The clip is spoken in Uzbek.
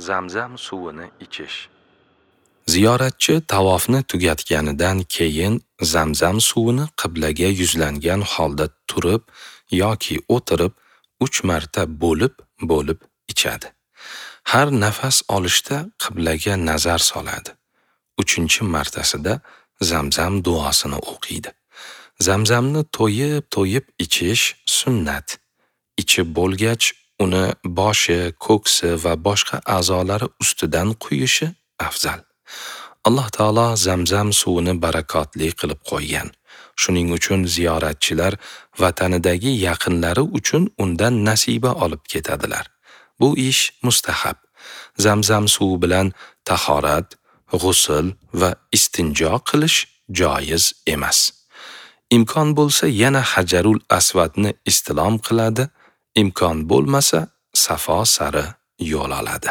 Zamzam suvini ichish. Ziyoratchi tavofni tugatganidan keyin Zamzam suvini qiblaga yuzlangan holda turib yoki o'tirib 3 marta bo'lib-bo'lib ichadi. Har nafas olishda qiblaga nazar soladi. 3-martasida Zamzam duosini o'qiydi. Zamzamni to'yib-to'yib ichish sunnat. Ichib bo'lgach, uni boshi, ko'ksi va boshqa a'zolari ustidan quyishi afzal. Alloh taolo Zamzam suvini barakotli qilib qo'ygan. Shuning uchun ziyoratchilar vatanidagi yaqinlari uchun undan nasiba olib ketadilar. Bu ish mustahab. Zamzam suvi bilan tahorat, g'usl va istinjo qilish joiz emas. Imkon bo'lsa yana Hajarul Asvadni istilom qiladi, imkon bo'lmasa Safo sari yo'l oladi.